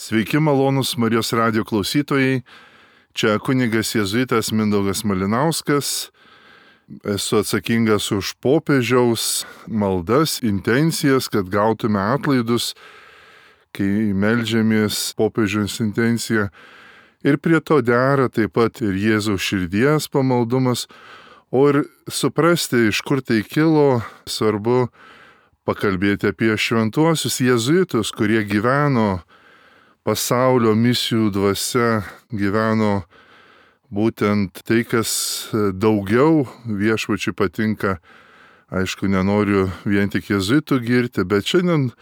Sveiki malonūs Marijos radijo klausytojai, čia kunigas jėzuitas Mindaugas Malinauskas. Esu atsakingas už popiežiaus maldas, intencijas, kad gautume atlaidus, kai meldžiamės popiežiaus intenciją. Ir prie to dera taip pat ir Jėzaus širdies pamaldumas, o ir suprasti, iš kur tai kilo, svarbu pakalbėti apie šventuosius jėzuitus, kurie gyveno pasaulio misijų dvasia, gyveno būtent tai, kas daugiau viešpačiui patinka. Aišku, nenoriu vien tik jėzuitų girti, bet šiandien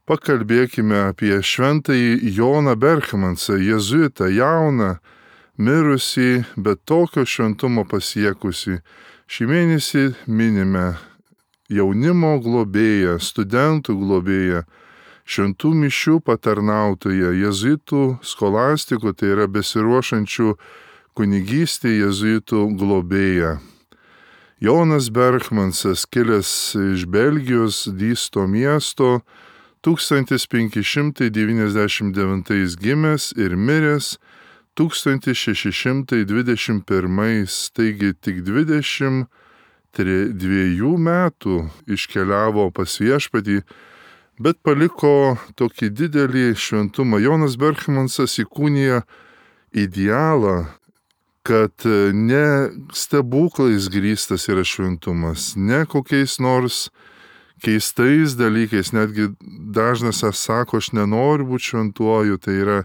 pakalbėkime apie šventąjį Joną Berchmansą, jėzuitą, jauną, mirusį, bet tokio šventumo pasiekusį. Šį mėnesį minime jaunimo globėją, studentų globėją, šventų mišių patarnautoją, jėzuitų skolastikų, tai yra besiruošančių kunigystė jėzuitų globėją. Jonas Berchmansas, kilęs iš Belgijos Dysto miesto, 1599 gimęs ir miręs 1621, taigi tik 22 metų iškeliavo pas viešpatį, bet paliko tokį didelį šventumą. Jonas Berchmansas įkūnija idealą, kad ne stebuklais grįstas yra šventumas, ne kokiais nors keistais dalykais, netgi dažnas sako, aš nenoriu būti šventuoju, tai yra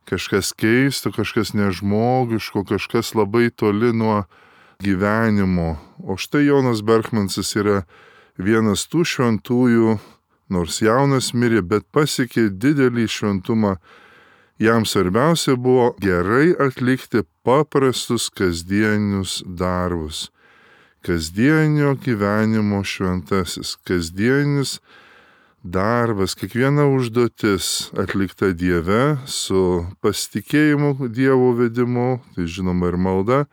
kažkas keisto, kažkas nežmogiško, kažkas labai toli nuo gyvenimo. O štai Jonas Berchmansas yra vienas tų šventųjų, nors jaunas mirė, bet pasiekė didelį šventumą. Jam svarbiausia buvo gerai atlikti paprastus kasdienius darbus. Kasdienio gyvenimo šventasis, kasdienis darbas, kiekviena užduotis atlikta Dieve su pasitikėjimu Dievo vedimu, tai žinoma ir malda,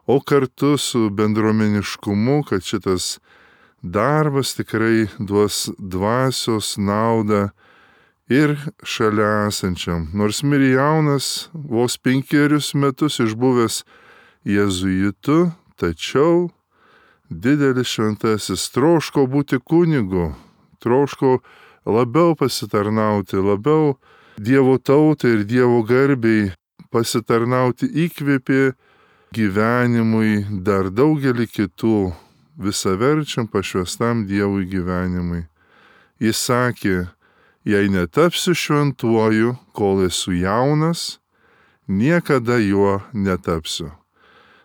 o kartu su bendruomeniškumu, kad šitas darbas tikrai duos dvasios naudą ir šalia esančiam. Nors mirė jaunas, vos 5 metus išbuvęs jėzuitu, tačiau didelis šventasis troško būti kunigu, troško labiau pasitarnauti, labiau Dievo tautai ir Dievo garbei pasitarnauti, įkvėpė gyvenimui dar daugelį kitų, visaverčiam pašvestam Dievui gyvenimui. Jis sakė, jei netapsiu šventuoju, kol esu jaunas, niekada juo netapsiu.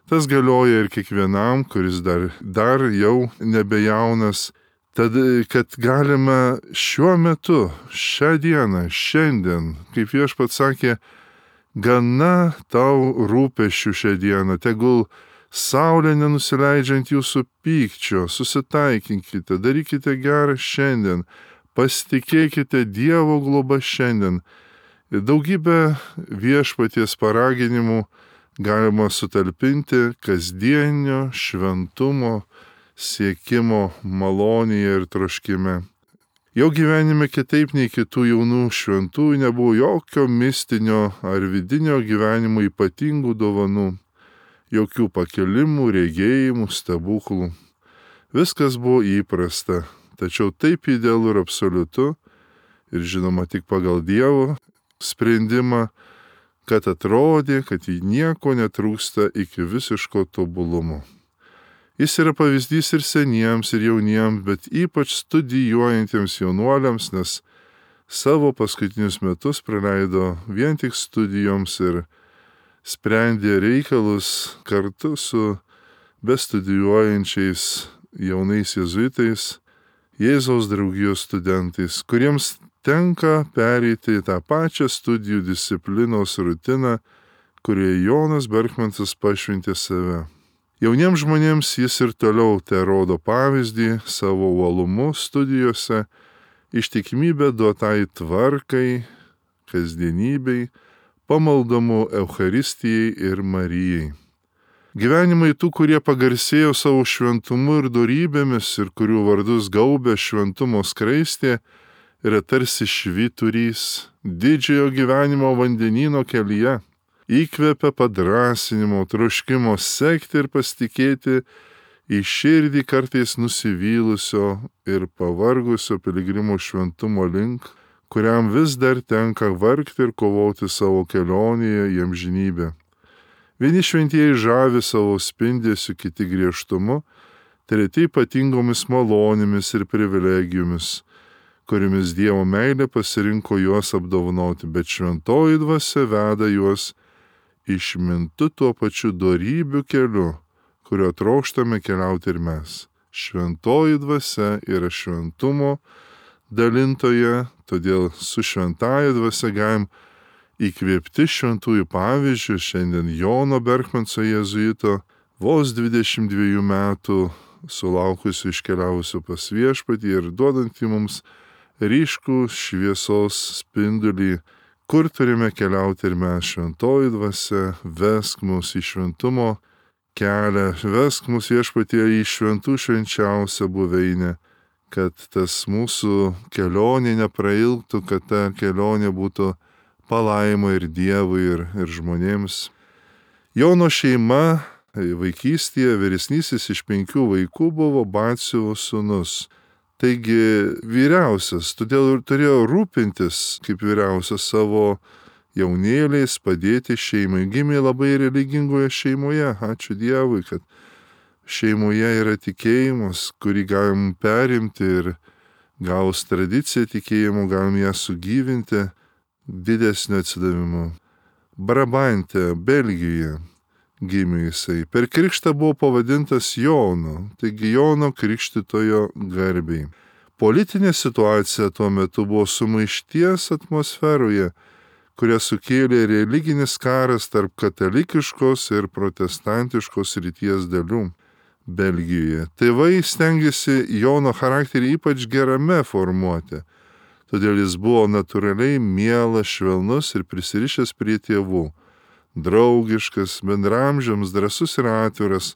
Tas galioja ir kiekvienam, kuris dar jau nebejaunas. Tad, kad galime šiuo metu, šią dieną, šiandien, kaip viešpats sakė, gana tau rūpesčių šią dieną, tegul saulė nenusileidžiant jūsų pykčio, susitaikinkite, darykite gerą šiandien, pasitikėkite Dievo globa šiandien. Ir daugybę viešpaties paraginimų galima sutalpinti kasdienio šventumo siekimo malonėje ir troškime. Jo gyvenime kitaip nei kitų jaunų šventųjų nebuvo jokio mistinio ar vidinio gyvenimo ypatingų dovanų, jokių pakelimų, regėjimų, stebuklų. Viskas buvo įprasta, tačiau taip idealu ir absoliutu, ir žinoma tik pagal Dievo sprendimą, kad atrodė, kad jį nieko netrūksta iki visiško tobulumo. Jis yra pavyzdys ir seniems, ir jauniems, bet ypač studijuojantiems jaunuoliams, nes savo paskutinius metus praleido vien tik studijoms ir sprendė reikalus kartu su bestudijuojančiais jaunais jėzuitais, Jėzaus draugijos studentais, kuriems tenka pereiti tą pačią studijų disciplinos rutiną, kurioje Jonas Berchmansas pašventė save. Jauniems žmonėms jis ir toliau rodo pavyzdį savo uolumu studijose, ištikimybę duotai tvarkai, kasdienybei, pamaldumu Eucharistijai ir Marijai. Gyvenimai tų, kurie pagarsėjo savo šventumu ir dorybėmis ir kurių vardus gaubė šventumo skraistė, yra tarsi švyturys didžiojo gyvenimo vandenyno kelyje. Įkvepia padrąsinimo, troškimo sekti ir pasitikėti į širdį kartais nusivylusio ir pavargusio piligrimo šventumo link, kuriam vis dar tenka vargti ir kovoti savo kelionėje į amžinybę. Vieni šventieji žavi savo spindesiu, kiti griežtumu, treti ypatingomis malonėmis ir privilegijomis, kuriomis Dievo meilė pasirinko juos apdovanoti, bet šventoji dvasia veda juos išmintu tuo pačiu dorybių keliu, kurio trokštame keliauti ir mes. Šventoji dvasia yra šventumo dalintoje, todėl su šventąja dvasia galim įkvėpti šventųjų pavyzdžių. Šiandien Jono Berchmanso jėzuito, vos 22 metų sulaukusių iškeliavusių pas viešpatį ir duodantį mums ryškų šviesos spindulį, kur turime keliauti ir mes. Šventoji dvasia, vesk mus į šventumo kelią, vesk mus viešpatie į šventų švenčiausią buveinę, kad tas mūsų kelionė neprailgtų, kad ta kelionė būtų palaima ir Dievui, ir žmonėms. Jono šeima vaikystėje vyresnysis iš 5 vaikų buvo Batsiuvo sūnus. Taigi vyriausias, todėl ir turėjo rūpintis kaip vyriausias savo jaunėliais, padėti šeimai. Gimė labai religingoje šeimoje. Ačiū Dievui, kad šeimoje yra tikėjimas, kurį galim perimti ir gaus tradiciją tikėjimo, galim ją sugyvinti didesnio atsidavimu. Brabante, Belgijoje gimė jisai. Per krikštą buvo pavadintas Jonu, taigi Jono krikštytojo garbei. Politinė situacija tuo metu buvo sumaišties atmosferoje, kurią sukėlė religinis karas tarp katalikiškos ir protestantiškos ryties dalių Belgijoje. Tėvai stengiasi Jono charakterį ypač gerame formuoti, todėl jis buvo natūraliai mielas, švelnus ir prisirišęs prie tėvų. Draugiškas, bendramžiams, drąsus ir atviras,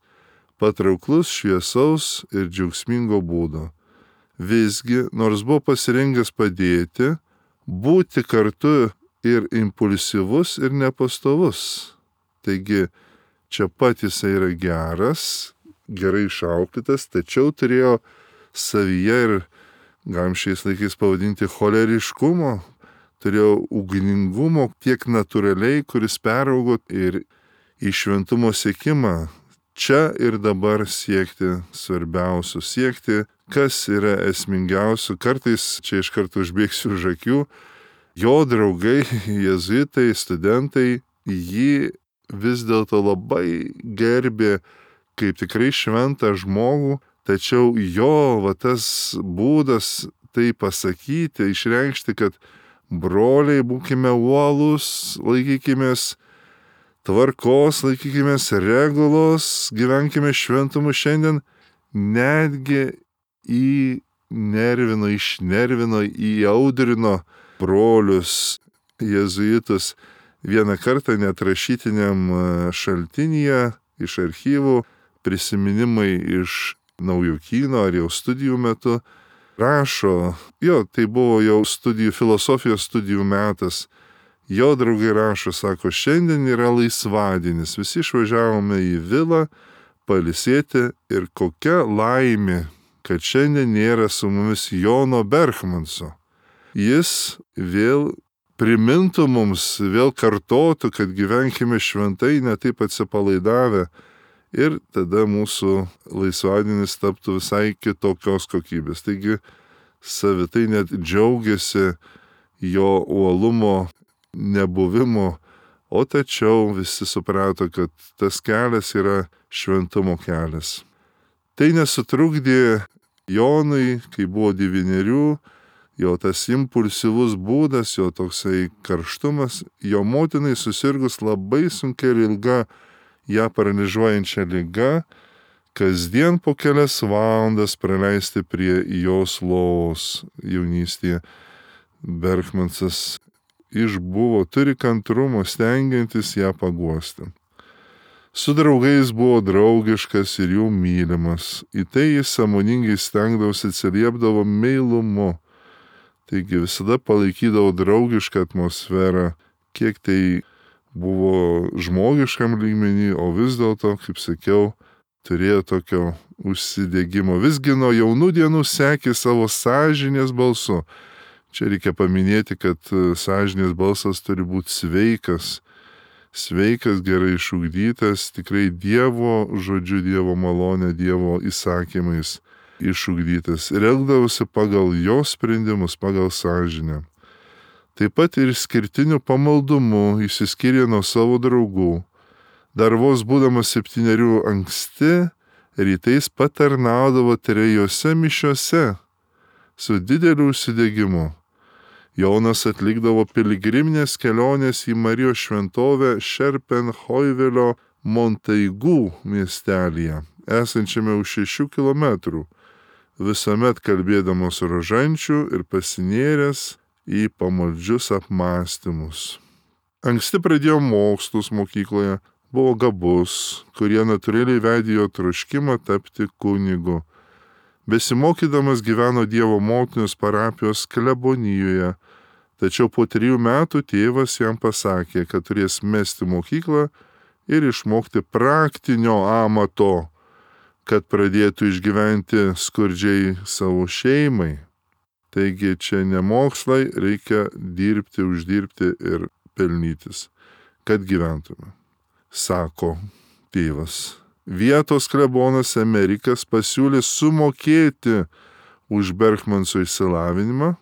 patrauklus, šviesaus ir džiaugsmingo būdo. Visgi, nors buvo pasirengęs padėti, būti kartu ir impulsyvus ir nepastovus. Taigi, čia pat jisai yra geras, gerai išauklėtas, tačiau turėjo savyje ir, galim šiais laikais pavadinti, choleriškumo, turėjo ugningumo tiek natūraliai, kuris peraugo ir į šventumo siekimą. Čia ir dabar siekti svarbiausių, siekti, kas yra esmingiausių. Kartais čia iš karto užbėgsiu už akių. Jo draugai, jėzuitai, studentai, jį vis dėlto labai gerbė kaip tikrai šventą žmogų, tačiau jo tas būdas tai pasakyti, išreikšti, kad broliai, būkime uolūs, laikykimės tvarkos, laikykimės regulos, gyvenkime šventumu šiandien, netgi išnervino, įaudrino brolius jėzuitus. Vieną kartą net rašytiniam šaltinyje iš archyvų, prisiminimai iš Naujokyno ar jau studijų metu, rašo, tai buvo jau filosofijos studijų metas, jo draugai rašo, sako, šiandien yra laisvadienis, visi išvažiavome į vilą pailsėti ir kokia laimė, kad šiandien nėra su mumis Jono Berchmanso. Jis vėl primintų mums, vėl kartotų, kad gyvenkime šventai, ne taip atsipalaidavę, ir tada mūsų laisvadienis taptų visai kitokios kokybės. Taigi savitai net džiaugiasi jo uolumo nebuvimo, o tačiau visi suprato, kad tas kelias yra šventumo kelias. Tai nesutrukdė Jonui, kai buvo 9, jo tas impulsyvus būdas, jo toksai karštumas, jo motinai susirgus labai sunkia ir ilga ją paralyžiuojančia liga, kasdien po kelias valandas praleisti prie jos lovos jaunystėje. Berchmansas išbuvo, turi kantrumo, stengiantis ją paguosti. Su draugais buvo draugiškas ir jų mylimas. Į tai jis sąmoningai stengdavosi, atsiliepdavo meilumu. Taigi visada palaikydavo draugišką atmosferą, kiek tai buvo žmogiškam lygmenį, o vis dėlto, kaip sakiau, turėjo tokio užsidegimo. Visgi nuo jaunų dienų sekė savo sąžinės balsu. Čia reikia paminėti, kad sąžinės balsas turi būti sveikas, gerai išugdytas, tikrai Dievo žodžiu, Dievo malonė, Dievo įsakymais išugdytas. Elgdavosi pagal jo sprendimus, pagal sąžinę. Taip pat ir skirtiniu pamaldumu išsiskyrė nuo savo draugų. Dar vos būdamas 7 anksti, rytais patarnaudavo 3 mišiose su dideliu užsidegimu. Jonas atlikdavo piligriminės kelionės į Marijos šventovę Šerpenhoivelio Montaigų miestelyje, esančiame už 6 kilometrų, visuomet kalbėdamas rožančių ir pasinėręs į pamaldžius apmąstymus. Anksti pradėjo mokslus mokykloje, buvo gabus, kurie natūraliai vedė jo troškimą tapti kunigu. Besimokydamas gyveno Dievo motinos parapijos klebonijoje, tačiau po 3 metų tėvas jam pasakė, kad turės mesti mokyklą ir išmokti praktinio amato, kad pradėtų išgyventi skurdžiai savo šeimai. Taigi čia ne mokslai, reikia dirbti, uždirbti ir pelnytis, kad gyventume, sako tėvas. Vietos klebonas Emerikas pasiūlė sumokėti už Berkmanso išsilavinimą,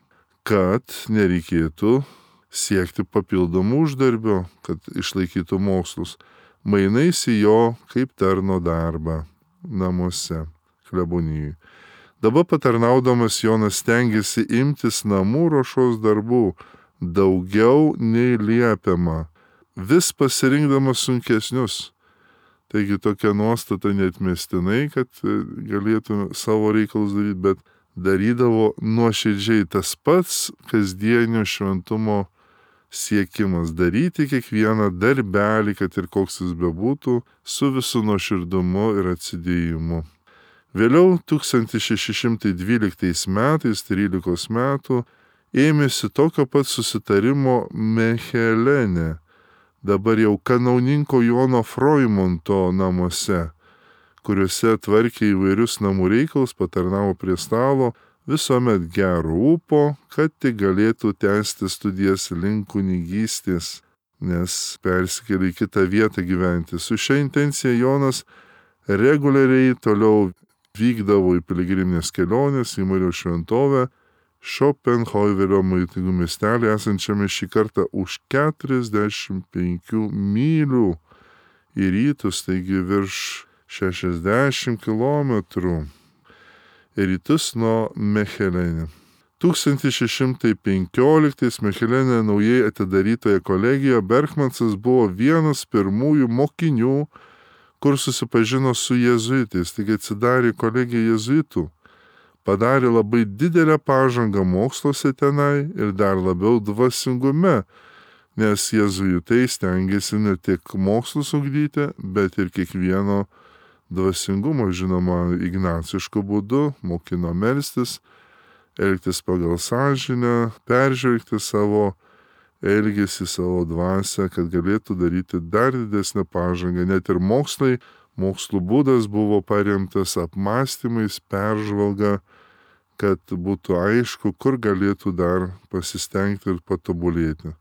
kad nereikėtų siekti papildomų uždarbio, kad išlaikytų mokslus, mainais į jo kaip tarno darbą namuose klebonijai. Dabar patarnaudamas Jonas stengiasi imtis namų ruošos darbų daugiau nei liepiama, vis pasirinkdamas sunkesnius. Taigi tokia nuostata neatmestinai, kad galėtume savo reikalus daryti, bet darydavo nuoširdžiai tas pats kasdienio šventumo siekimas, daryti kiekvieną darbelį, kad ir koks jis bebūtų, su visu nuoširdumu ir atsidėjimu. Vėliau 1612 metais, 13 metų, ėmėsi tokio pat susitarimo Mechelene, dabar jau kanauninko Jono Froimonto namuose, kuriuose tvarkė įvairius namų reikalus, patarnavo prie stalo, visuomet gero ūpo, kad tik galėtų tęsti studijas link kunigystės, nes persikėlė į kitą vietą gyventi. Su šia intencija Jonas reguliariai toliau vykdavo į piligriminės kelionės į Marijos šventovę Šerpenhoivelio Montaigų miestelį, esančiame šį kartą už 45 mylių į rytus, taigi virš 60 kilometrų į rytus nuo Mechelene. 1615 Mechelene naujai atidarytoje kolegijoje Berkmansas buvo vienas pirmųjų mokinių, kur susipažino su jėzuitais, taigi atsidarė kolegija jėzuitų, padarė labai didelę pažangą moksluose tenai ir dar labiau dvasingume, nes jėzuitai stengiasi ne tik mokslus ugdyti, bet ir kiekvieno dvasingumo, žinoma, ignacišku būdu, mokino melstis, elgtis pagal sąžinę, peržvelgti savo elgesį, savo dvasią, kad galėtų daryti dar didesnę pažangą. Net ir mokslų būdas buvo paremtas apmąstymais, peržvalga, kad būtų aišku, kur galėtų dar pasistengti ir patobulėti.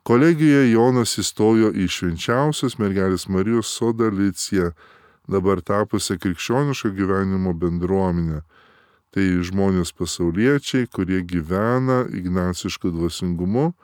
Kolegijoje Jonas įstojo į švenčiausios mergelės Marijos sodą Liciją, dabar tapusią krikščioniško gyvenimo bendruomenę. Tai žmonės pasauliečiai, kurie gyvena ignacišku dvasingumu,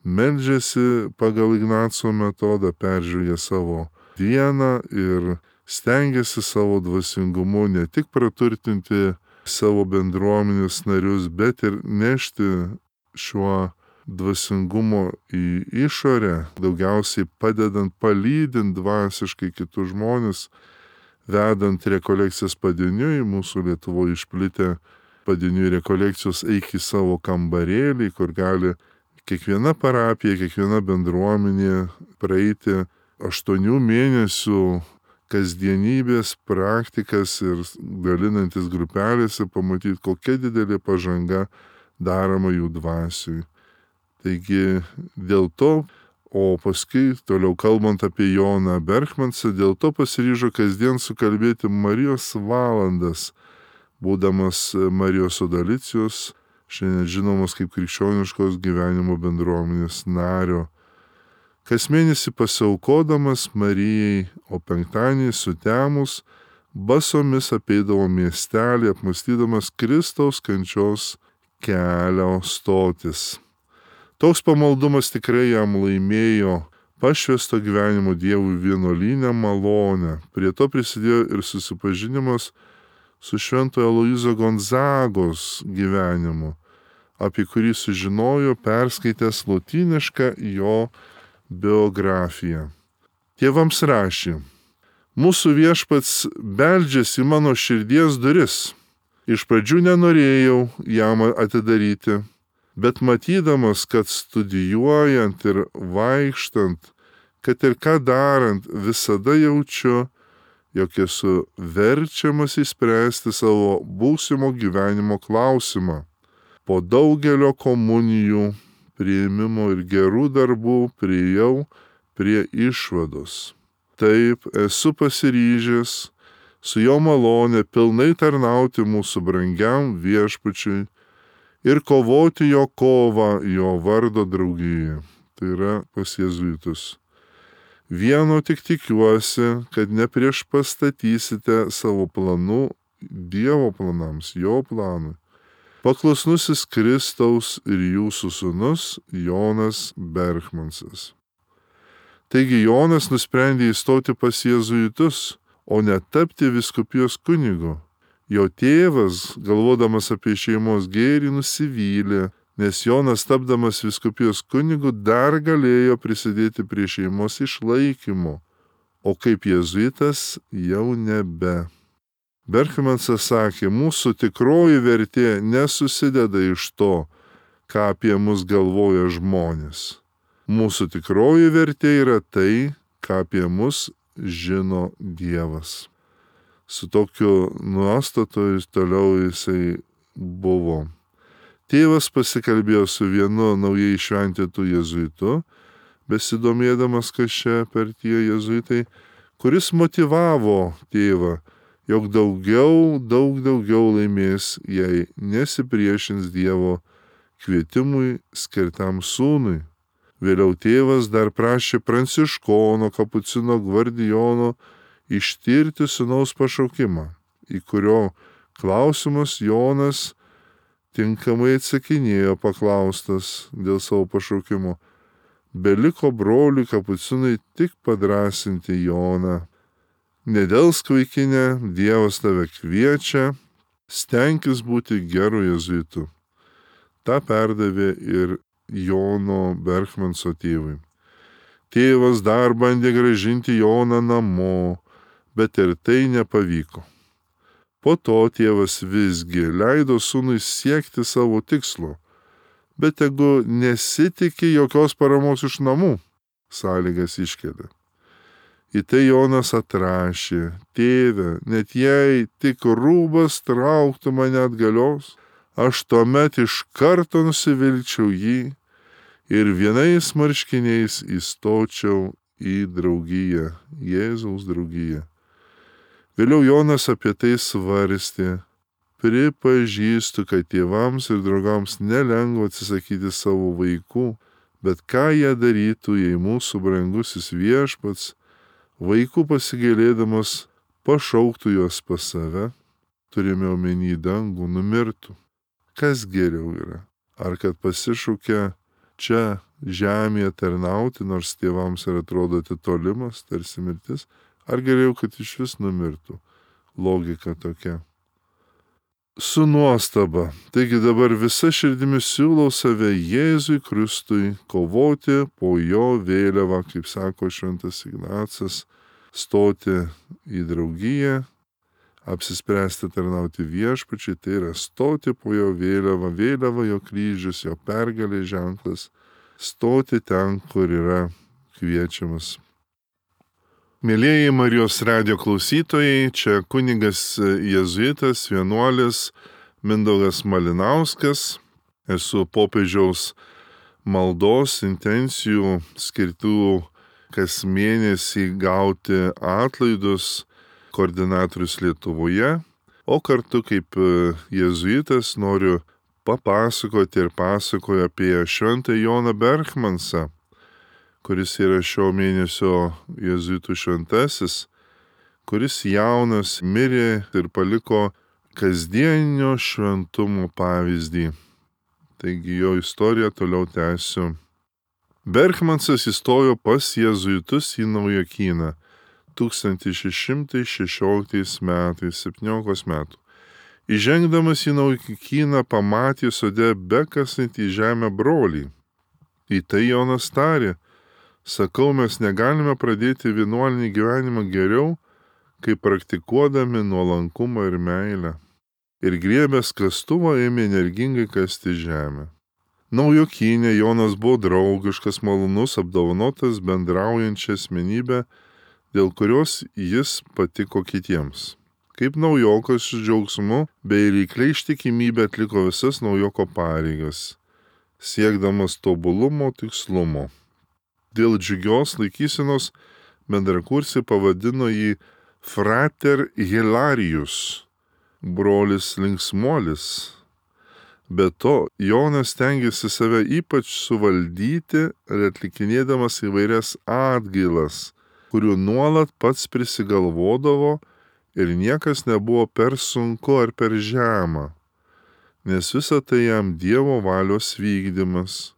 meldžiasi pagal Ignaco metodą, peržvelgia savo dieną ir stengiasi savo dvasingumu ne tik praturtinti savo bendruomenės narius, bet ir nešti šiuo dvasingumo į išorę, daugiausiai padedant, palydint dvasiškai kitus žmonės, vedant rekolekcijas padieniui, mūsų Lietuvoje išplitę padieniui rekolekcijos eik į savo kambarėlį, kur gali kiekviena parapija, kiekviena bendruomenė praeiti 8 mėnesių kasdienybės praktikas ir dalinantis grupelėse pamatyti, kokia didelė pažanga daroma jų dvasiui. Taigi dėl to, o paskui toliau kalbant apie Joną Berchmansą, dėl to pasiryžo kasdien sukalbėti Marijos valandas, būdamas Marijos Odalicijos, šiandien žinomas kaip krikščioniškos gyvenimo bendruomenės nario. Kas mėnesį pasiaukodamas Marijai, o penktadienį sutemus, basomis apeidavo miestelį, apmąstydamas Kristaus kančios kelio stotis. Toks pamaldumas tikrai jam laimėjo pašvęsto gyvenimo Dievui vienuolinę malonę. Prie to prisidėjo ir susipažinimas su Šventojo Aloyzo Gonzagos gyvenimu, apie kurį sužinojo perskaitęs lotynišką jo biografiją. Tėvams rašė: Mūsų Viešpats beldžiasi į mano širdies duris. Iš pradžių nenorėjau jam atidaryti, bet matydamas, kad studijuojant ir vaikštant, kad ir ką darant, visada jaučiu, jog esu verčiamas įspręsti savo būsimo gyvenimo klausimą. Po daugelio komunijų, priėmimo ir gerų darbų priėjau prie išvados. Taip, esu pasiryžęs su jo malonė pilnai tarnauti mūsų brangiam Viešpačiui ir kovoti jo kovą jo vardo draugijoje. Tai yra pas jėzuitus. Vieno tik tikiuosi, kad nepriešpastatysite savo planų Dievo planams, jo planui. Paklusnusis Kristaus ir jūsų sūnus Jonas Berchmansas. Taigi Jonas nusprendė įstoti pas jėzuitus, o ne tapti vyskupijos kunigu. Jo tėvas, galvodamas apie šeimos gėrį, nusivylė, nes Jonas, tapdamas vyskupijos kunigu, dar galėjo prisidėti prie šeimos išlaikymo, o kaip jėzuitas jau nebe. Berchmansas sakė: mūsų tikroji vertė nesusideda iš to, ką apie mus galvoja žmonės. Mūsų tikroji vertė yra tai, ką apie mus žino Dievas. Su tokiu nuostatu toliau jisai buvo. Tėvas pasikalbėjo su vienu naujai šventintu jėzuitu, besidomėdamas, kas čia per tie jėzuitai, kuris motyvavo tėvą, jog daug daugiau laimės, jei nesipriešins Dievo kvietimui skirtam sūnui. Vėliau tėvas dar prašė Pranciškono Kapucino Gvardijono ištirti sūnaus pašaukimą, į kurio klausimus Jonas tinkamai atsakinėjo paklaustas dėl savo pašaukimo. Beliko broliui Kapucinui tik padrąsinti Joną. Nedelsk vaikine, Dievas tave kviečia, stenkis būti geru jėzuitu. Ta perdavė ir Jono Berchmanso tėvui. Tėvas dar bandė grąžinti Joną namo, bet ir tai nepavyko. Po to tėvas visgi leido sūnui siekti savo tikslo, bet tegu nesitikė jokios paramos iš namų, sąlygas iškėlė. Į tai Jonas atrašė: tėve, net jei tik rūbas trauktų mane atgalios, aš tuomet iš karto nusivilčiau jį ir vienais marškiniais įstočiau į draugiją, Jėzaus draugiją. Vėliau Jonas apie tai svarstė: pripažįstu, kad tėvams ir draugams nelengva atsisakyti savo vaikų, bet ką jie darytų, jei mūsų brangusis Viešpats, vaikų pasigailėdamas, pašauktų juos pas save, turime omeny dangų, numirtų. Kas geriau yra? Ar kad pasišaukia čia žemėje tarnauti, nors tėvams ir atrodo atitolimas, tarsi mirtis, ar geriau, kad iš vis numirtų? Logika tokia. Su nuostaba. Taigi dabar visa širdimi siūlau save Jėzui Kristui kovoti po jo vėliavą, kaip sako šventas Ignacas, stoti į draugiją, apsispręsti tarnauti Viešpačiui, tai yra stoti po jo vėliavą, vėliava jo kryžius, jo pergalės ženklas, stoti ten, kur yra kviečiamas. Mėlieji Marijos radijo klausytojai, čia kunigas jėzuitas, vienuolis Mindaugas Malinauskas. Esu popiežiaus maldos intencijų skirtų kas mėnesį gauti atlaidus koordinatorius Lietuvoje, o kartu kaip jėzuitas noriu papasakoti ir pasakoju apie šventą Joną Berchmansą, kuris yra šio mėnesio jėzuitų šventasis, kuris jaunas mirė ir paliko kasdienio šventumo pavyzdį. Taigi jo istoriją toliau tęsiu. Berchmansas įstojo pas jėzuitus į Naujokyną 1616 metais, 17 metų. Įžengdamas į Naujokyną pamatė sode bekasantį žemę brolį. Į tai Jonas tarė: sakau, mes negalime pradėti vienuolinį gyvenimą geriau, kai praktikuodami nuolankumą ir meilę. Ir griebęs kastuvą ėmė energingai kasti žemę. Naujokynė Jonas buvo draugiškas, malonus, apdovanotas bendraujančia asmenybė, dėl kurios jis patiko kitiems. Kaip naujokas su džiaugsmu bei reikliai ištikimybė atliko visas naujoko pareigas, siekdamas tobulumo tikslumo. Dėl džiugios laikysenos bendrakursiai pavadino jį Frater Hilarius, brolis linksmuolis. Be to, Jonas stengiasi save ypač suvaldyti ir atlikinėdamas įvairias atgailas, kurių nuolat pats prisigalvodavo ir niekas nebuvo per sunku ar per žema, nes visa tai jam Dievo valios vykdymas.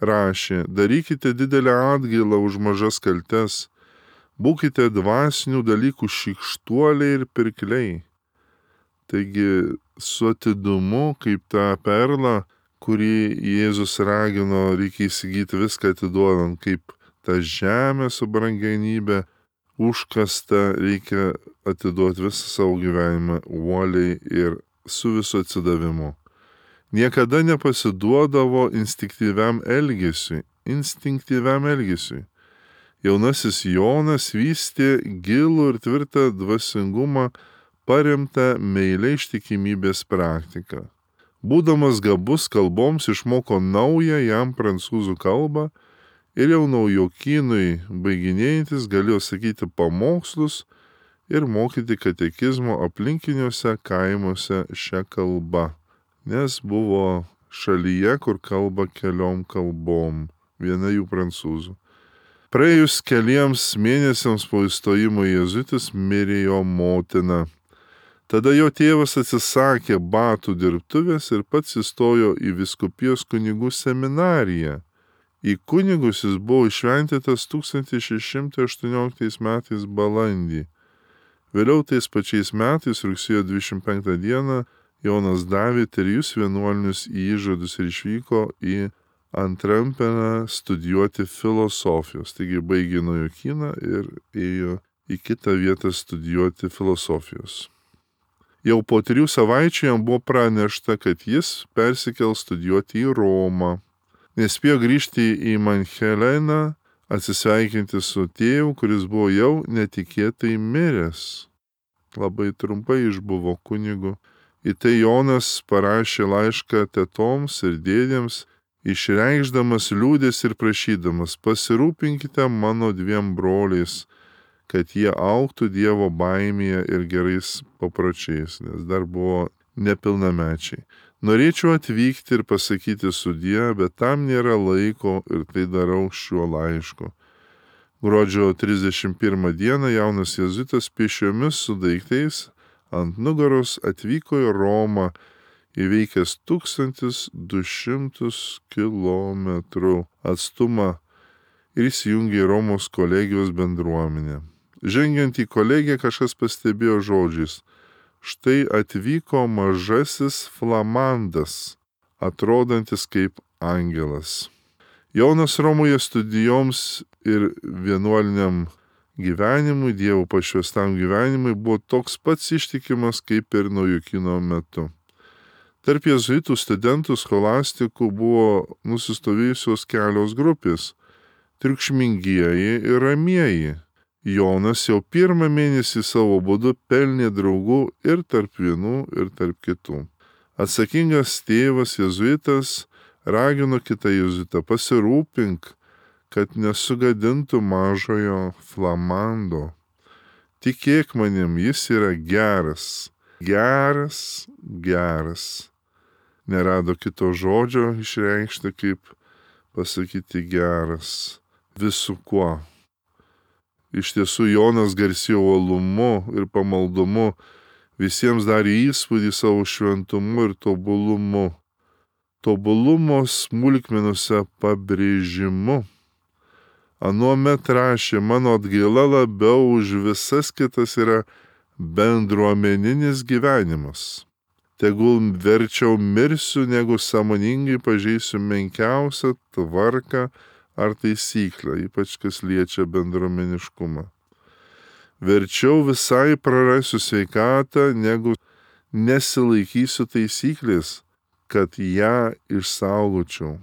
Rašė: darykite didelę atgailą už mažas kaltes, būkite dvasinių dalykų šykštuoliai ir pirkliai. Taigi su atidumu, kaip tą perlą, kurį Jėzus ragino, reikia įsigyti viską atiduodant, kaip tą žemę su brangenybė užkasta, reikia atiduoti visą savo gyvenimą uoliai ir su visu atsidavimu. Niekada nepasiduodavo instinktyviam elgesiui. Jaunasis Jonas vystė gilų ir tvirtą dvasingumą paremtą meiliai ištikimybės praktiką. Būdamas gabus kalboms išmoko naują jam prancūzų kalbą ir jau Naujokynui baiginėjantis galėjo sakyti pamokslus ir mokyti katekizmo aplinkiniuose kaimuose šią kalbą, nes buvo šalyje, kur kalba keliom kalbom, viena jų prancūzų. Praėjus keliems mėnesiams po įstojimo į jėzuitus mirė jo motina. Tada jo tėvas atsisakė batų dirbtuvės ir pats įstojo į vyskupijos kunigų seminariją. Į kunigus jis buvo iššventytas 1618 metais balandį. Vėliau tais pačiais metais, rugsėjo 25 dieną, Jonas davė 3 vienuolinius įžadus ir išvyko į Antrampeną studijuoti filosofijos. Taigi baigė Naujokyną ir ėjo į kitą vietą studijuoti filosofijos. Jau po 3 savaičių jam buvo pranešta, kad jis persikels studijuoti į Romą. Nespėjo grįžti į Mancheleną, atsisveikinti su tėvu, kuris buvo jau netikėtai miręs. Labai trumpai išbuvo kunigu. Į tai Jonas parašė laišką tetoms ir dėdėms, išreikšdamas liūdės ir prašydamas: pasirūpinkite mano 2 broliais, kad jie augtų Dievo baimėje ir gerais papročiais, nes dar buvo nepilnamečiai. Norėčiau atvykti ir pasakyti sudie, bet tam nėra laiko ir tai darau šiuo laišku. Gruodžio 31 dieną jaunas jėzuitas pėsčiomis su daiktais ant nugaros atvyko į Romą, įveikęs 1200 kilometrų atstumą ir įsijungė į Romos kolegijos bendruomenę. Žengiant į kolegiją kažkas pastebėjo žodžiais: štai atvyko mažasis flamandas, atrodantis kaip angelas. Jonas Romoje studijoms ir vienuoliniam gyvenimui, Dievo pašvęstam gyvenimui buvo toks pats ištikimas kaip ir Naujokyno metu. Tarp jėzuitų studentų scholastikų buvo nusistovėjusios kelios grupės - triukšmingieji ir ramieji. Jonas jau 1 mėnesį savo būdu pelnė draugų ir tarp vienų, ir tarp kitų. Atsakingas tėvas jėzuitas ragino kitą jėzuitą: pasirūpink, kad nesugadintų mažojo Flamando. Tikėk manim, jis yra geras. Nerado kito žodžio išreikšti, kaip pasakyti geras. Visu kuo. Iš tiesų Jonas garsėjo uolumu ir pamaldumu, visiems darė įspūdį savo šventumu ir tobulumu. Tobulumo smulkmenuose pabrėžimu. Anuomet rašė: mano atgaila labiau už visas kitas yra bendruomeninis gyvenimas. Tegul verčiau mirsiu, negu sąmoningai pažeisiu menkiausią tvarką ar taisyklę, ypač kas liečia bendruomeniškumą. Verčiau visai prarasiu sveikatą, negu nesilaikysiu taisyklės, kad ją išsaugočiau.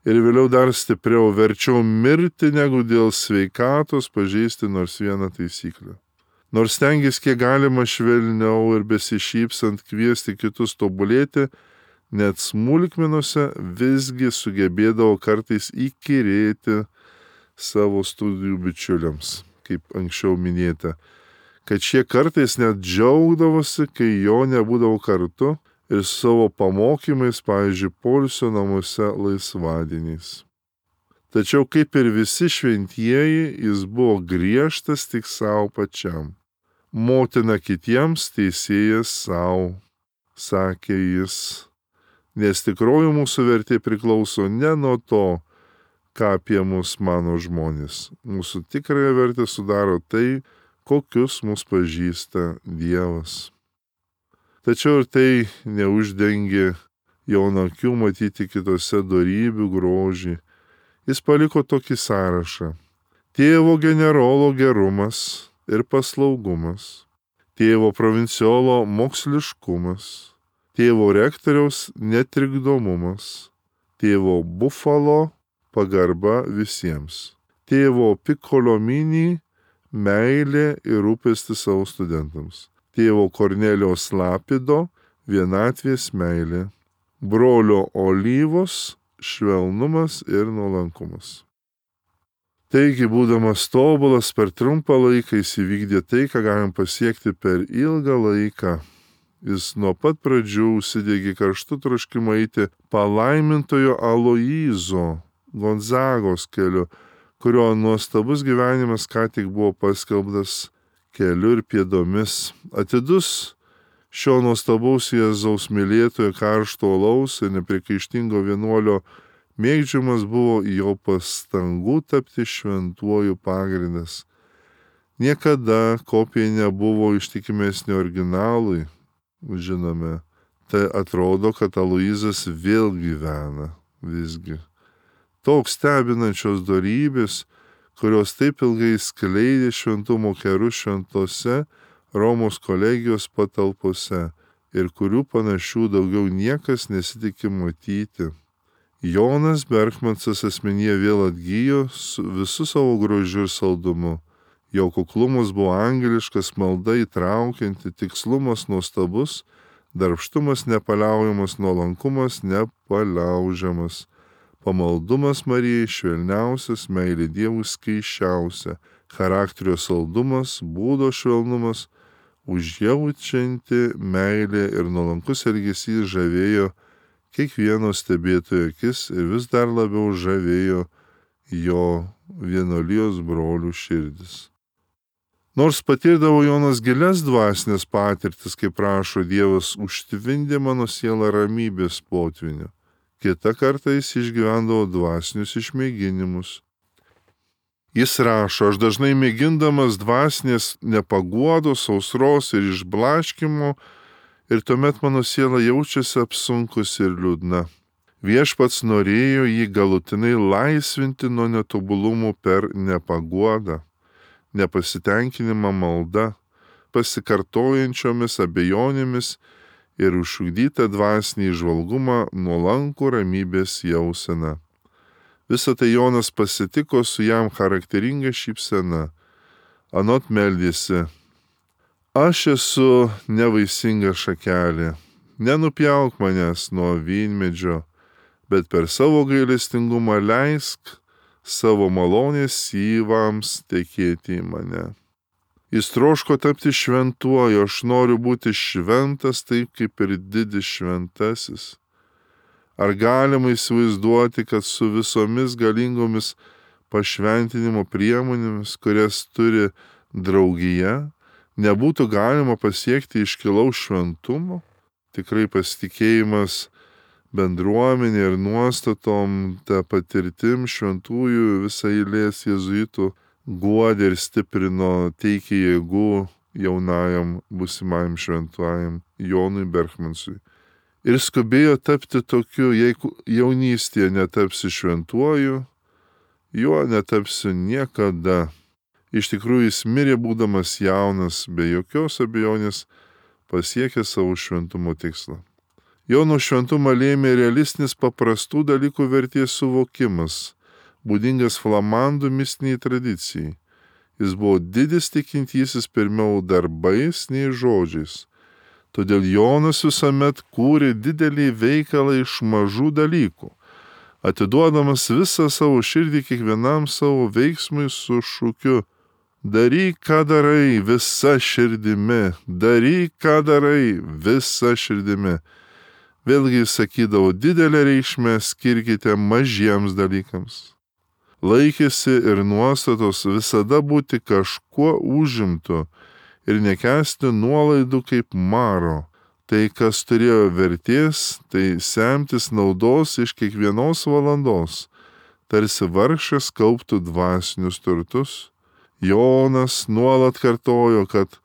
Ir vėliau dar stipriau: verčiau mirti, negu dėl sveikatos pažeisti nors vieną taisyklę. Nors stengės kiek galima švelniau ir besišypsant kviesti kitus tobulėti, net smulkmenuose visgi sugebėdavo kartais įkyrėti savo studijų bičiuliams, kaip anksčiau minėta, kad šie kartais net džiaugdavosi, kai jo nebūdavo kartu ir savo pamokymais, pavyzdžiui, poilsio namuose laisvadieniais. Tačiau kaip ir visi šventieji, jis buvo griežtas tik savo pačiam. Motina kitiems, teisėjas savo, sakė jis, nes tikroji mūsų vertė priklauso ne nuo to, ką apie mus mano žmonės. Mūsų tikrąją vertę sudaro tai, kokius mus pažįsta Dievas. Tačiau ir tai neuždengė Jono akių matyti kitose dorybių grožį. Jis paliko tokį sąrašą: tėvo generolo gerumas ir paslaugumas, tėvo provinciolo moksliškumas, tėvo rektoriaus netrikdomumas, tėvo Bufalo pagarba visiems, tėvo Pikolomini meilė ir rūpestis savo studentams, tėvo Kornelijos Lapido vienatvės meilė, brolio Olyvos švelnumas ir nuolankumas. Taigi, būdamas tobulas, per trumpą laiką jis įvykdė tai, ką galim pasiekti per ilgą laiką. Jis nuo pat pradžių užsidegė karštu troškimu eiti palaimintojo Aloyzo Gonzagos keliu, kurio nuostabus gyvenimas ką tik buvo paskelbtas keliu ir pėdomis. Atidus šio nuostabaus Jėzaus mylėtojo karšto alaus ir nepriekaištingo vienuolio mėgdžiamas buvo jo pastangų tapti šventuoju pagrindas. Niekada kopija nebuvo ištikimesnė originalui. Žinome, tai atrodo, kad Aloyzas vėl gyvena visgi. Toks stebinančios dorybės, kurios taip ilgai skleidė šventumo kerus šventose Romos kolegijos patalpose ir kurių panašių daugiau niekas nesitikė matyti. Jonas Bergmansas asmenyje vėl atgyjo su visu savo grožiu ir saldumu. Jo kuklumas buvo angeliškas, malda įtraukianti, tikslumas nuostabus, darbštumas nepaliaujamas, nuolankumas nepaliaužiamas, pamaldumas Marijai švelniausias, meilė Dievui skaisčiausia, charakterio saldumas, būdo švelnumas, užjaučianti meilė ir nuolankus elgesys žavėjo kiekvieno stebėtojo akis ir vis dar labiau žavėjo jo vienuolijos brolių širdis. Nors patirdavo Jonas gilias dvasinės patirtis, kaip prašo Dievas, užtvindė mano sielą ramybės potviniu. Kita kartą jis išgyvendavo dvasinius išmėginimus. Jis rašo: aš dažnai mėgindamas dvasinės nepaguodos, sausros ir išblaškimo, ir tuomet mano siela jaučiasi apsunkusi ir liūdna. Viešpats norėjo jį galutinai laisvinti nuo netobulumų per nepaguodą, nepasitenkinimą malda, pasikartojančiomis abejonėmis ir užšugdytą dvasinį įžvalgumą, nuolankų ramybės jauseną. Visą tai Jonas pasitiko su jam charakteringa šypsena. Anot meldėsi: aš esu nevaisinga šakelė, nenupjauk manęs nuo vynmedžio, bet per savo gailestingumą leisk savo malonės syvams tekėti į mane. Jis troško tapti šventuoju, aš noriu būti šventas taip kaip ir didis šventasis. Ar galima įsivaizduoti, kad su visomis galingomis pašventinimo priemonėmis, kurias turi draugija, nebūtų galima pasiekti iškilaus šventumo? Tikrai pasitikėjimas bendruomenė ir nuostatom, ta patirtim šventųjų visą eilės jėzuitų guodė ir stiprino, teikė jėgų jaunajam būsimajam šventuojam Jonui Berchmansui. Ir skubėjo tapti tokiu, jeigu jaunystėje netapsi šventuoju, juo netapsiu niekada. Iš tikrųjų jis mirė būdamas jaunas, be jokios abejonės pasiekė savo šventumo tikslą. Jono šventumą lėmė realistinis paprastų dalykų vertės suvokimas, būdingas flamandų mistiniai tradicijai. Jis buvo didis tikintysis pirmiau darbais nei žodžiais. Todėl Jonas visuomet kūrė didelį veikalą iš mažų dalykų, atiduodamas visą savo širdį kiekvienam savo veiksmui su šūkiu: daryk, ką darai, visa širdimi, daryk, ką darai, visa širdimi. Vėlgi sakydavo, didelę reikšmę skirkite mažiems dalykams. Laikėsi ir nuostatos visada būti kažkuo užimtu ir nekęsti nuolaidų kaip maro. Tai, kas turėjo vertės, tai semtis naudos iš kiekvienos valandos, tarsi vargšas kauptų dvasinius turtus. Jonas nuolat kartojo, kad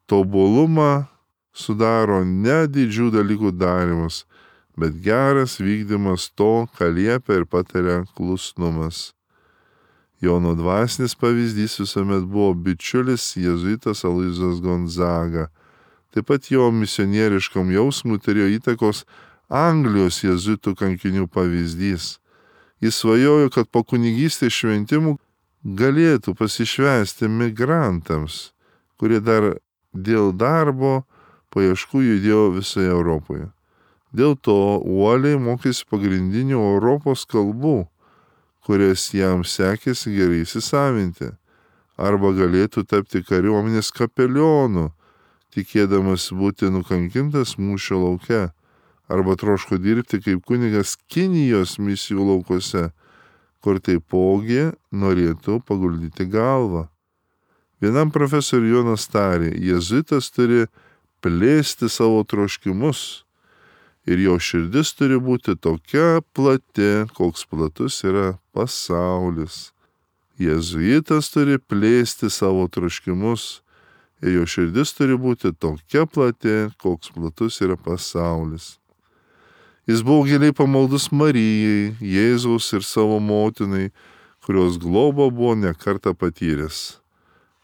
tobulumą sudaro ne didžių dalykų darimas, bet geras vykdymas to, ką liepia ir pataria klusnumas. Jono dvasinis pavyzdys visuomet buvo bičiulis jėzuitas Aloyzas Gonzaga. Taip pat jo misionieriškam jausmui turėjo įtakos Anglijos jėzuitų kankinių pavyzdys. Jis svajojo, kad po kunigystės šventimų galėtų pasišvęsti migrantams, kurie dar dėl darbo paieškų judėjo visoje Europoje. Dėl to uoliai mokėsi pagrindinių Europos kalbų, kurias jam sekėsi gerai įsisavinti, arba galėtų tapti kariuomenės kapelionu, tikėdamas būti nukankintas mūšio lauke, arba troško dirbti kaip kunigas Kinijos misijų laukuose, kur taipogi norėtų paguldyti galvą. Vienam profesoriui Jonas tarė, jėzuitas turi plėsti savo troškimus ir jo širdis turi būti tokia plati, koks platus yra pasaulis. Jėzuitas turi plėsti savo troškimus ir jo širdis turi būti tokia plati, koks platus yra pasaulis. Jis buvo giliai pamaldus Marijai, Jėzaus ir savo motinai, kurios globą buvo nekartą patyręs.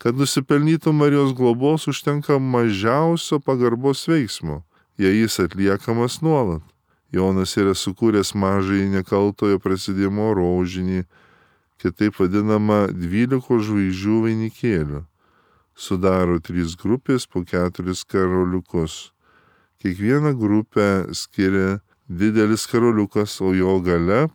Kad nusipelnytų Marijos globos, užtenka mažiausio pagarbos veiksmo, jei jis atliekamas nuolat. Jonas yra sukūręs mažąjį nekaltojo prasidėjimo rožinį, kitaip vadinamą 12 žvaigždžių vainikėlių. Sudaro 3 grupės po 4 karoliukus. Kiekvieną grupę skiria didelis karoliukas, o jo gale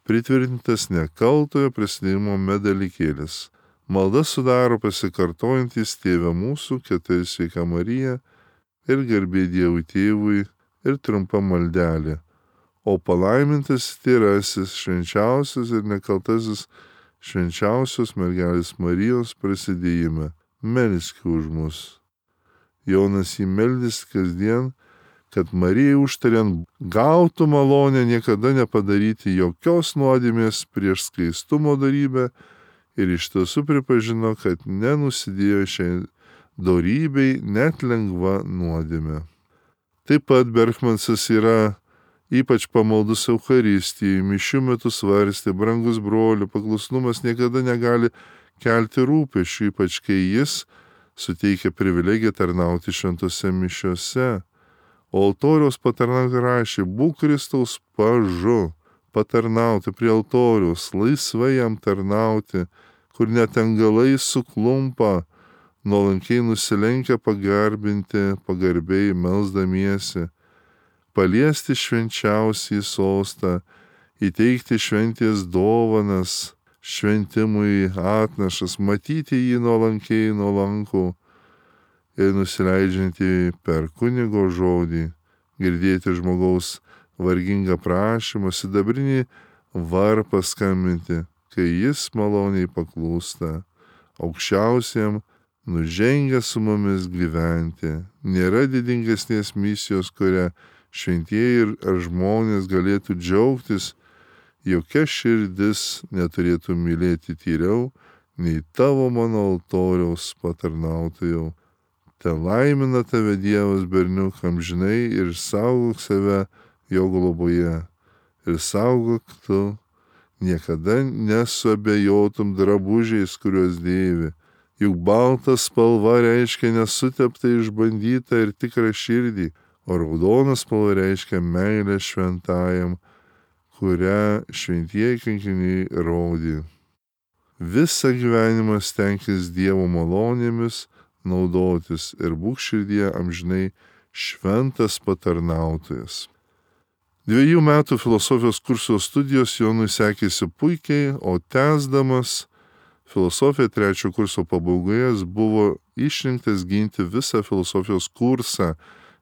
pritvirtintas nekaltojo prasidėjimo medalikėlis. Malda sudaro pasikartojantys Tėve mūsų, 4 Sveika Marija ir garbė Dievui Tėvui ir trumpa maldelė. O palaimintas tyrasis, švenčiausias ir nekaltasis švenčiausios mergelės Marijos prasidėjime. Melski už mus. Jonas jį meldys kasdien, kad Marijai užtariant gautų malonę niekada nepadaryti jokios nuodėmės prieš skaistumo darybę ir iš tiesų pripažino, kad nenusidėjo šiai dorybei net lengva nuodėmė. Taip pat Berchmansas yra ypač pamaldus Eucharistijai, mišių metu svarstė, brangus brolių, paklusnumas niekada negali kelti rūpesčių, ypač kai jis suteikia privilegiją tarnauti šventose mišiose. O altoriaus patarnauti rašė, būk Kristaus pažu, patarnauti prie altoriaus, laisvai jam tarnauti, kur net angelai suklumpa, nuolankiai nusilenkia pagarbinti, pagarbiai melsdamiesi. paliesti švenčiausią sostą, įteikti šventės dovanas, šventimui atnašas, matyti jį nuolankiai nuolankų ir nusileidžiantį per kunigo žodį, girdėti žmogaus vargingą prašymą, sidabrinį varpą skambinti, kai jis maloniai paklūsta aukščiausiam, nužengia su mumis gyventi. Nėra didingesnės misijos, kurią šventieji ar žmonės galėtų džiaugtis, jokia širdis neturėtų mylėti tyriau, nei tavo mano altoriaus patarnautojau. Te laimina tave Dievas berniuk amžinai ir saugok save jo globoje. Ir saugok tu, niekada nesuabejotum drabužiais, kuriuos dėvi. Juk balta spalva reiškia nesuteptą, išbandytą ir tikrą širdį, o raudona spalva reiškia meilę šventajam, kurią šventieji kankiniai rodė. Visą gyvenimą stenkis Dievo malonėmis naudotis ir būk širdie amžinai šventas patarnautojas. 2 metų filosofijos kurso studijos Jonui sekėsi puikiai, o tęsdamas filosofiją 3 kurso pabaigoje jis buvo išrinktas ginti visą filosofijos kursą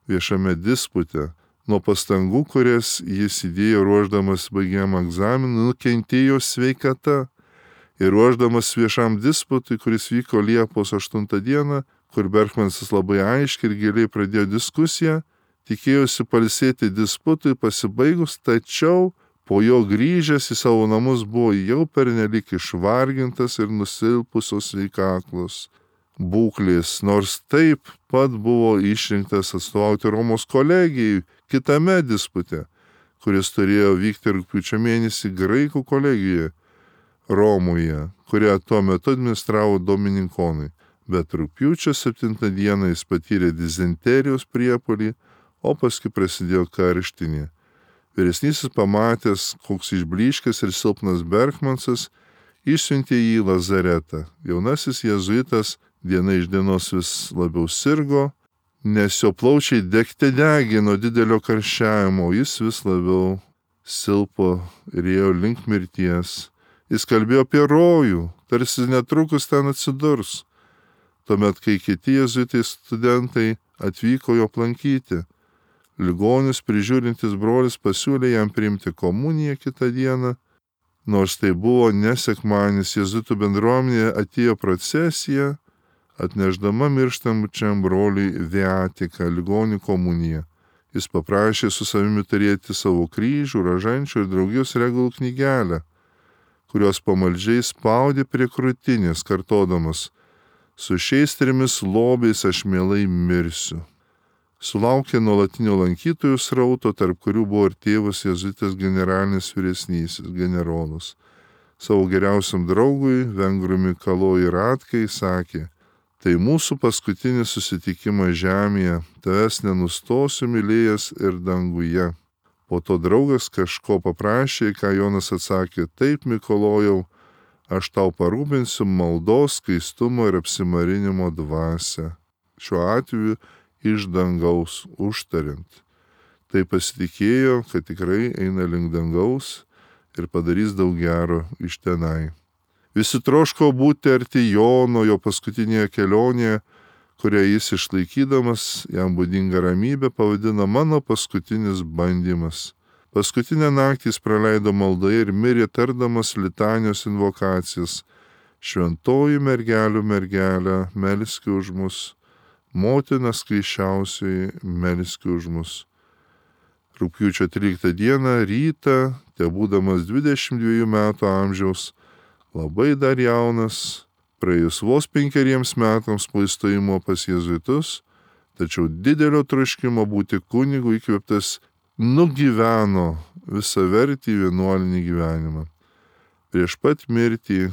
viešame dispute. Nuo pastangų, kurias jis įdėjo ruošdamas baigiamą egzaminą, nukentėjo sveikata. Ir ruošdamas viešam disputui, kuris vyko Liepos 8 dieną, kur Berkmanas labai aiškiai ir giliai pradėjo diskusiją, tikėjosi pailsėti disputui pasibaigus, tačiau po jo grįžęs į savo namus buvo jau pernelyg išvargintas ir nusilpusios sveikaklos būklės, nors taip pat buvo išrinktas atstovauti Romos kolegijai kitame dispute, kuris turėjo vykti rugpjūčio mėnesį Graikų kolegijoje Romoje, kurią tuo metu administravo dominikonai. Bet rugpjūčio 7 dieną jis patyrė dizenterijos priepuolį, o paskui prasidėjo karštinė. Vyresnysis pamatęs, koks išblyškęs ir silpnas Berkmansas, išsiuntė jį į lazaretą. Jaunasis jėzuitas diena iš dienos vis labiau sirgo, nes jo plaučiai degė nuo didelio karščiavimo, jis vis labiau silpo ir ėjo link mirties. Jis kalbėjo apie rojų, tarsi netrukus ten atsidurs. Tuomet, kai kiti jėzuitai studentai atvyko jo aplankyti, ligonis prižiūrintis brolis pasiūlė jam priimti komuniją kitą dieną. Nors tai buvo nesekmadienis, jėzuitų bendruomenėje atėjo procesija, atnešdama mirštančiam broliui viatiką, ligonių komuniją. Jis paprašė su savimi turėti savo kryžių, rožančių ir draugijos regalų knygelę, kurios pamaldžiai spaudė prie krūtinės, kartodamas: su šiais 3 lobiais aš mielai mirsiu. Sulaukė nuolatinio lankytojų srauto, tarp kurių buvo ir tėvas jėzuitas generalinis vyresnysis generolas. Savo geriausiam draugui, vengrui Mikalojui Ratkai, sakė: tai mūsų paskutinis susitikimas žemėje, tavęs nenustosiu mylėjęs ir danguje. Po to draugas kažko paprašė, ką Jonas atsakė: taip, Mikalojau, aš tau parūpinsiu maldos, skaistumo ir apsimarinimo dvasią. Šiuo atveju iš dangaus užtariant. Tai pasitikėjo, kad tikrai eina link dangaus ir padarys daug gero iš tenai. Visi troško būti arti Jono jo paskutinėje kelionėje, kurią jis išlaikydamas jam būdingą ramybę pavadina mano paskutinis bandymas. Paskutinę naktį jis praleido maldoje ir mirė tardamas litanijos invokacijas: šventoji mergelių mergelė, melski už mus, motina skaisčiausioji, melski už mus. Rugpjūčio 13 dieną rytą, tebūdamas 22 metų amžiaus, labai dar jaunas, praėjus vos 5 metams po įstojimo pas jėzuitus, tačiau didelio troškimo būti kunigu įkvėptas, nugyveno visavertį vienuolinį gyvenimą. Prieš pat mirtį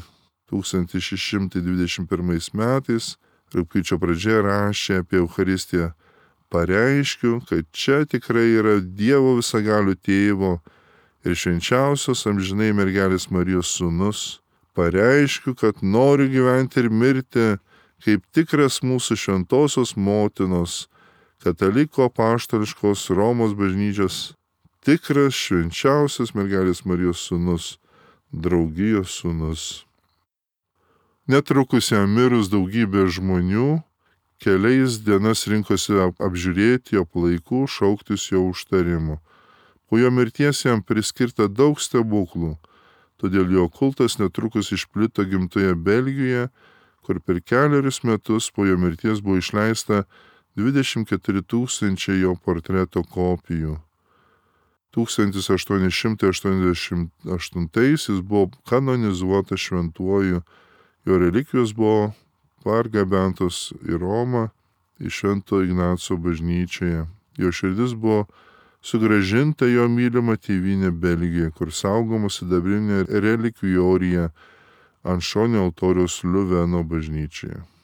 1621 metais, rugpjūčio pradžioje rašė apie Eucharistiją: pareiškiu, kad čia tikrai yra Dievo visagalių tėvo ir švenčiausios amžinai mergelės Marijos sūnus. Pareiškiu, kad noriu gyventi ir mirti kaip tikras mūsų šventosios motinos, kataliko apaštališkos Romos bažnyčios tikras švenčiausias mergelės Marijos sūnus, draugijos sūnus. Netrukus jam mirus daugybė žmonių keliais dienas rinkosi apžiūrėti jo palaikų, šauktis jo užtarimo. Po jo mirties jam priskirta daug stebuklų, todėl jo kultas netrukus išplito gimtoje Belgijoje, kur per 4 metus po jo mirties buvo išleista 24 000 jo portreto kopijų. 1888 jis buvo kanonizuotas šventuoju, jo relikvijos buvo pargabentos į Romą, į Švento Ignaco bažnyčioje. Jo širdis buvo sugrąžinta jo mylima tėvynė Belgija, kur saugoma sidabrinė relikvijorija ant šonio altoriaus Liuveno bažnyčioje.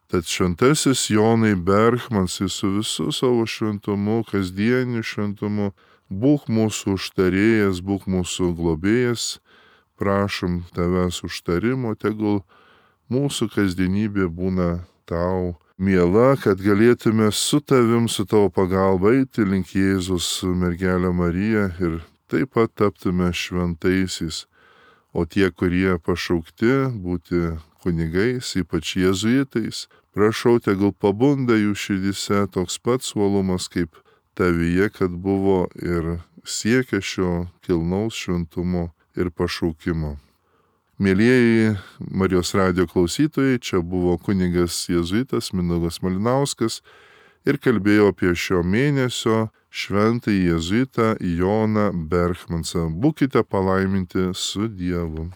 Tad šventasis Jonai Berchmans su visu savo šventumu, kasdieniu šventumu, būk mūsų užtarėjas, būk mūsų globėjas, prašom tavęs užtarimo, tegul mūsų kasdienybė būna tau miela, kad galėtume su tavim, su tavo pagalba eiti link Jėzus mergelę Mariją ir taip pat taptume šventaisiais. O tie, kurie pašaukti būti kunigais, ypač jėzuitais, prašau, tegul pabunda jų širdyse toks pats uolumas kaip tavyje, kad buvo ir siekia šio kilnaus šventumo ir pašaukimo. Mėlieji Marijos radijo klausytojai, čia buvo kunigas jėzuitas Mindaugas Malinauskas ir kalbėjo apie šio mėnesio šventąjį jėzuitą Joną Berchmansą. Būkite palaiminti su Dievu.